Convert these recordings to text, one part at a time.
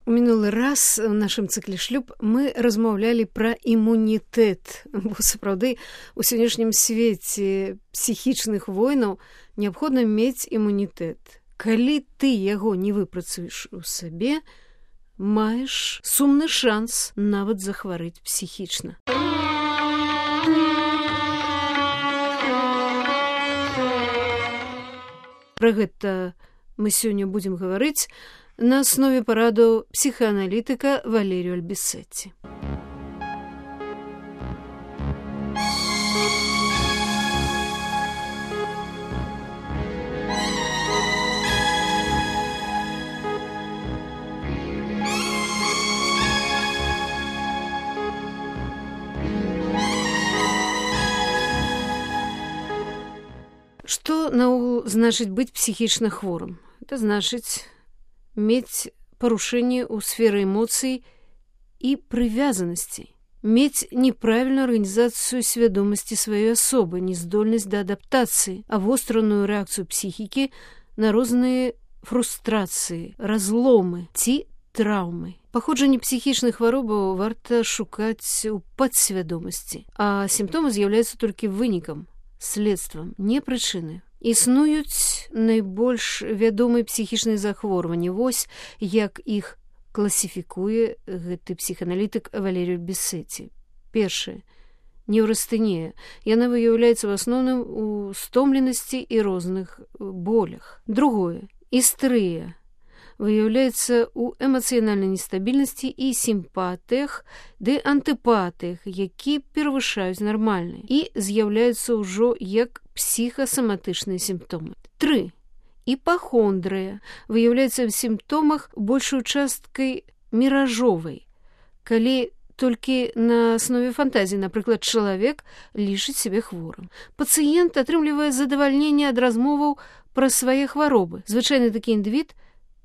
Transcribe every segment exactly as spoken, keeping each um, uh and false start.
У мінулы раз у нашым цыкле шлюб мы размаўлялі пра імунітэт, бо сапраўды у сённяшнім свеце псіхічных войнаў неабходна мець імунітэт. Калі ты яго не выпрацуеш у сабе, маеш сумны шанс нават захварэць псіхічна. Пра гэта мы сёння будзем гаварыць на аснове парадаў псіхааналітыка Валерію Альбісетці. Што наогул значыць быць псіхічна хворым? Это значыць мець парушэнне ў сферы эмоцый і прывязанасцей, мець неправільную арганізацыю свядомасці сваёй асобы, нездольнасць да адаптацыі, авостраную рэакцыю псіхікі на розныя фрустрацыі, разломы ці траўмы. Паходжанне псіхічных хваробаў варта шукаць у падсвядомасці, а сімптомы з'яўляюцца толькі вынікам, следствам, не прычыны. Існуюць найбольш вядомыя псіхічныя захворванні. Вось як іх класіфікуе гэты псіхааналітык Валерію Альбісетці. Першае. Неўрастэнія. Яна выяўляецца в асноўным у стомленасці і розных болях. Другое. Істэрыя. Выяўляецца ў эмацыянальнай нестабільнасці і сімпатыях ды антыпатыях, які перавышаюць нармальныя і з'яўляюцца ўжо як псіхасаматычныя сімптомы. Тры. Іпахондрыя выяўляецца ў сімптомах большую часткай міражовай, калі толькі на аснове фантазіі, напрыклад, чалавек лічыць сябе хворым. Пацыент атрымлівае задавальненне ад размоваў пра свае хваробы. Звычайны такі індывід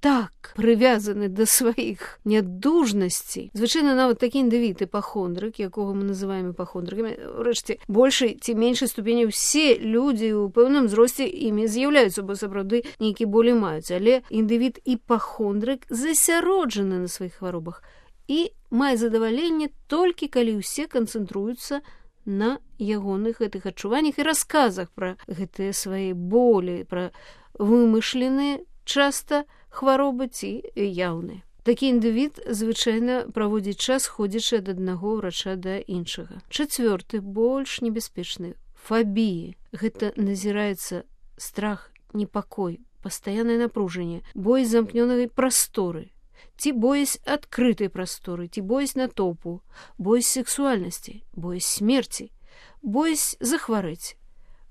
так прывязаны да сваіх нядужнасцей. Звычайна нават такі індывід іпахондрык, якога мы называем іпахондрыкамі, урэшце, большай ці меншай ступені ўсе людзі ў пэўным узросце імі з'яўляюцца, бо сапраўды нейкі болі маюць, але індывід іпахондрык засяроджаны на сваіх хваробах і мае задаваленне толькі калі ўсе канцэнтруюцца на ягоных гэтых адчуваннях і расказах пра гэтыя свае болі, пра вымышленыя часта хваробы ці яўныя. Такі індывід звычайна праводзіць час, ходзячы ад аднаго ўрача да іншага. Чацвёрты, больш небяспечны, фабіі. Гэта назіраецца страх, непакой, пастаяннае напружанне, боязь замкнёнай прасторы, ці боязь адкрытай прасторы, ці боязь натоўпу, боязь сексуальнасці, боязь смерці, боязь захварэць,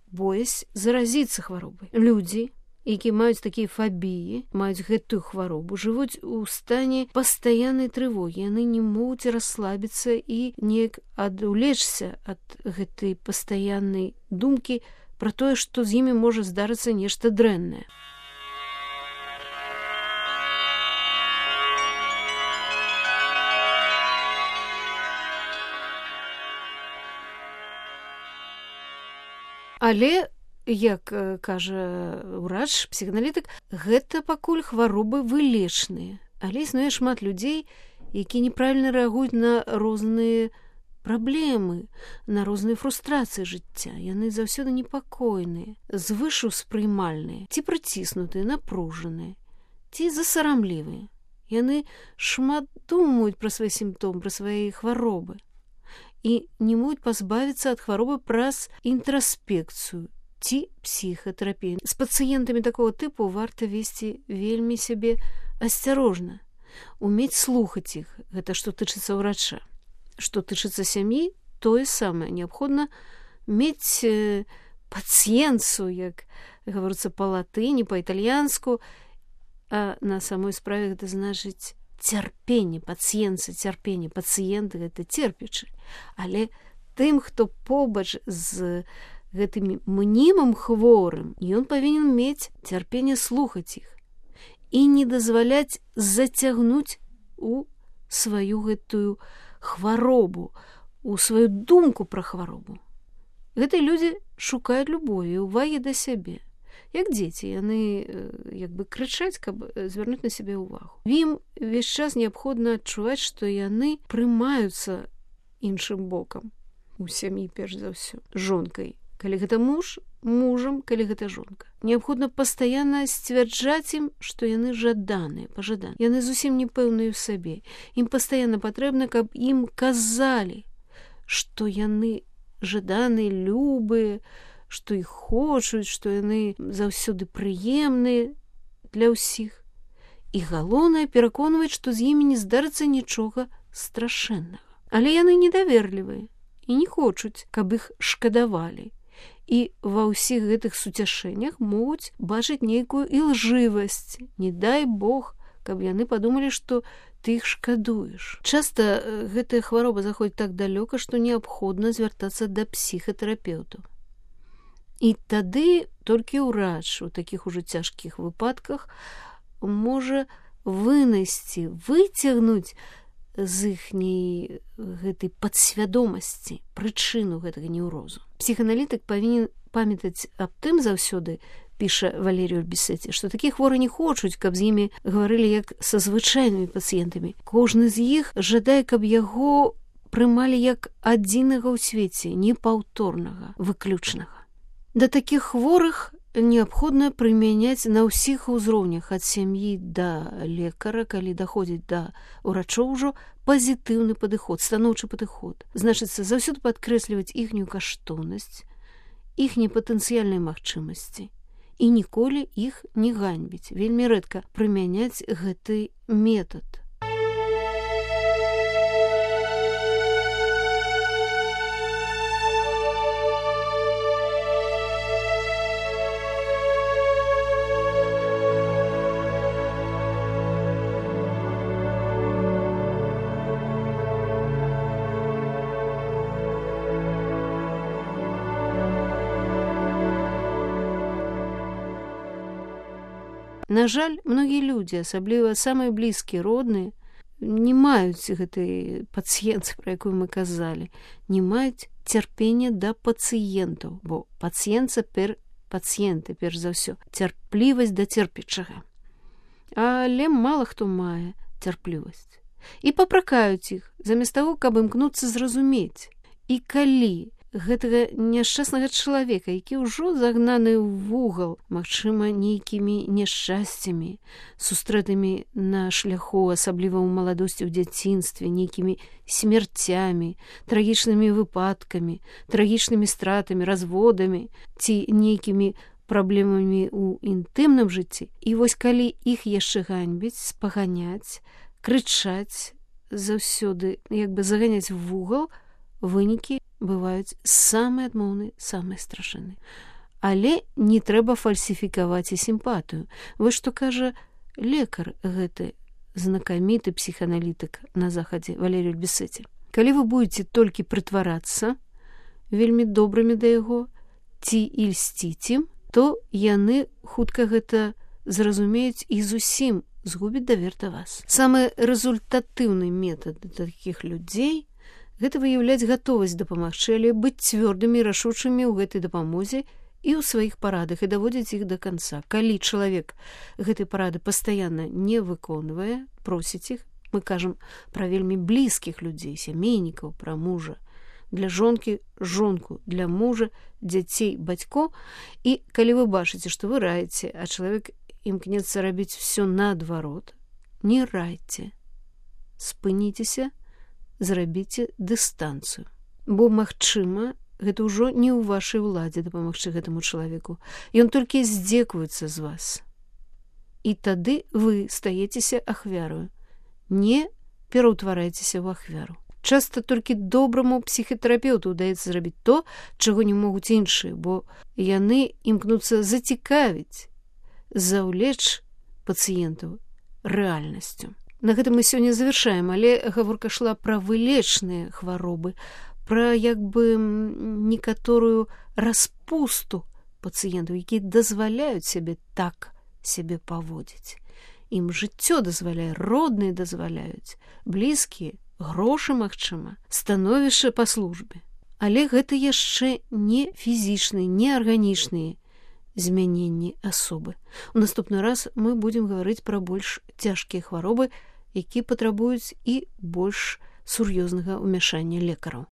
боязь заразіцца хваробай. Людзі, які маюць такія фабіі, маюць гэтую хваробу, жывуць у стане пастаяннай трывогі. Яны не могуць расслабіцца і неяк адвлечься ад гэтай пастаяннай думкі пра тое, што з імі можа здарыцца нешта дрэннае. Але як кажа ўрач, псіхааналітык, гэта пакуль хваробы вылечныя. Але існуе шмат людзей, які неправільна рэагуюць на розныя праблемы, на розныя фрустрацыі жыцця. Яны заўсёды непакойныя, звышуспрымальныя, ці прыціснутыя, напружаныя, ці засарамлівыя. Яны шмат думаюць пра свае сімптомы, пра свае хваробы і не могуць пазбавіцца ад хваробы праз інтраспекцыю ці псіхатэрапію. З пацыентамі такого тыпу варта весці вельмі сябе асцярожна, умець слухаць іх. Гэта што тычыцца ўрача. Што тычыцца сям'і, тое самае. Неабходна мець пацыенцу, як гаворыцца па-латыні, па-італьянску, а на самой справе гэта значыць цярпенне, пацыенца, цярпенне. Пацыент гэта церпячы. Але тым, хто побач з гэтым мнімым хворым, ён павінен мець цярпенне слухаць іх і не дазваляць зацягнуць у сваю гэтую хваробу, у сваю думку пра хваробу. Гэтыя людзі шукаюць любові, увагі да сябе. Як дзеці, яны як бы крычаць, каб звярнуць на сябе ўвагу. Ім увесь час неабходна адчуваць, што яны прымаюцца іншым бокам у сям'і, перш за ўсё, жонкай. Калі гэта муж, мужам, калі гэта жонка. Неабходна пастаянна сцвярджаць ім, што яны жаданыя, пажаданыя. Яны зусім не пэўныя ў сабе. Ім пастаянна патрэбна, каб ім казалі, што яны жаданыя, любыя, што іх хочуць, што яны заўсёды прыемныя для ўсіх. І галоўнае пераконваць, што з імі не здарыцца нічога страшэннага. Але яны недаверлівыя і не хочуць, каб іх шкадавалі. І ва ўсіх гэтых суцяшэннях могуць бачыць нейкую ілжывасць. Не дай Бог, каб яны падумалі, што ты іх шкадуеш. Часта гэтая хвароба заходзіць так далёка, што неабходна звяртацца да псіхатэрапеўтаў. І тады толькі ўрач у такіх ужо цяжкіх выпадках можа вынайсці, выцягнуць з іхняй гэтай падсвядомасці прычыну гэтага неўрозу. Псіханалітык павінен памятаць аб тым заўсёды, піша Валерій Ульбісеці, што такія хворыя не хочуць, каб з імі гаварылі як са звычайнымі пацыентамі. Кожны з іх жадае, каб яго прымалі як адзінага ў свеце, непаўторнага, выключнага. Да такіх хворых неабходна прымяняць на ўсіх узроўнях ад сям'і да лекара, калі даходзіць да ўрачоў ужо пазітыўны падыход, станоўчы падыход. Значыцца, заўсёды падкрэсліваць іхнюю каштоўнасць, іхняй патэнцыяльнай магчымасці і ніколі іх не ганьбіць. Вельмі рэдка прымяняць гэты метад. На жаль, многія людзі, асабліва самыя блізкія, родныя, не маюць гэтай пацыенцыі, пра якую мы казалі, не маюць цярпення да пацыентаў, бо пацыенца пер пацыенты, перш за ўсё, цярплівасць да церпячага. Але мала хто мае цярплівасць. І папракаюць іх, замест таго, каб імкнуцца зразумець. І калі гэтага няшчаснага чалавека, які ўжо загнаны ў вугал, магчыма, нейкімі няшчасцямі, сустрэтымі на шляху, асабліва ў маладосці, ў дзяцінстве, нейкімі смерцямі, трагічнымі выпадкамі, трагічнымі стратамі, разводамі ці нейкімі праблемамі ў інтымным жыцці. І вось калі іх яшчэ ганьбіць, спаганяць, крычаць, заўсёды як бы заганяць в вугал, вынікі бываюць самыя адмоўныя, самыя страшэнныя. Але не трэба фальсіфікаваць і сімпатыю. Вось што кажа лекар гэты знакаміты псіханалітык на захадзе Валерій Ульбісеці. Калі вы будзеце толькі прытварацца вельмі добрымі да яго ці і льсціць ім, то яны хутка гэта зразумеюць і зусім згубяць давер да вас. Самы рэзультатыўны метад такіх людзей гэта выяўляць гатовасць дапамагчы, але быць цвёрдымі і рашучымі ў гэтай дапамозе і ў сваіх парадах і даводзіць іх да канца. Калі чалавек гэтай парады пастаянна не выконвае, просіць іх, мы кажам пра вельмі блізкіх людзей, сямейнікаў, пра мужа, для жонкі жонку, для мужа дзяцей, бацько, і калі вы бачыце, што вы раіце, а чалавек імкнецца рабіць все наадварот, не райце, спыніцеся, зрабіце дыстанцыю. Бо, магчыма, гэта ўжо не ў вашай уладзе дапамагчы гэтаму чалавеку. Ён толькі здзекуецца з вас. І тады вы стаецеся ахвярою. Не пераўтварайцеся ў ахвяру. Часта толькі добраму псіхатэрапеўту ўдаецца зрабіць то, чаго не могуць іншыя, бо яны імкнуцца зацікавіць, заўлечь пацыентаў рэальнасцю. На гэтым мы сёння завяршаем, але гаворка шла пра вылечныя хваробы, пра як бы некаторую распусту пацыентаў, якія дазваляюць сябе так сябе паводзіць. Ім жыццё дазваляе, родныя дазваляюць, блізкія, грошы, магчыма, становішча па службе. Але гэта яшчэ не фізічныя, не арганічныя змяненні асобы. У наступны раз мы будзем гаварыць пра больш цяжкія хваробы, якія патрабуюць і больш сур'ёзнага ўмяшання лекараў.